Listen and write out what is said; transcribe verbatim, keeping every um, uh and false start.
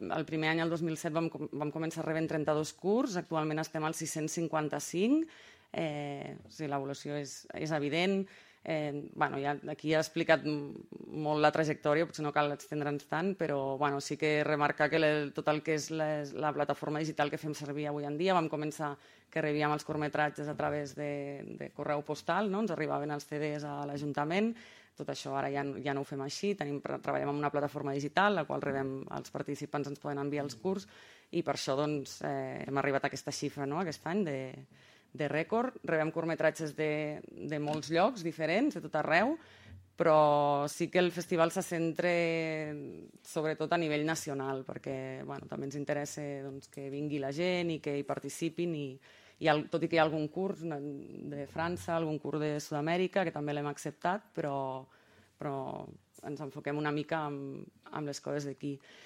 El primer any, el dos mil set, vam, vam començar rebent trenta-dos curts, actualment estem al sis-cents cinquanta-cinc, eh, o sigui, l'evolució és, és evident. Eh, bueno, ja, aquí ja he explicat molt la trajectòria, potser no cal extendre'ns tant, però bueno, sí que remarcar que le, tot el que és les, la plataforma digital que fem servir avui en dia, vam començar que rebíem els curtmetratges a través de, de correu postal, no? Ens arribaven els C Ds a l'Ajuntament, tot això ara ja, ja no ho fem així, tenim, treballem en una plataforma digital, la qual rebem, els participants ens poden enviar els curts, i per això doncs, eh, hem arribat a aquesta xifra, no? Aquest any de, de rècord. Rebem curtmetratges de, de molts llocs diferents, de tot arreu, però sí que el festival se centra sobretot a nivell nacional, perquè bueno, també ens interessa doncs, que vingui la gent i que hi participin, i, i el, tot i que hi ha algun curs de França, algun curs de Sud-amèrica, que també l'hem acceptat, però, però ens enfoquem una mica amb, amb les coses d'aquí.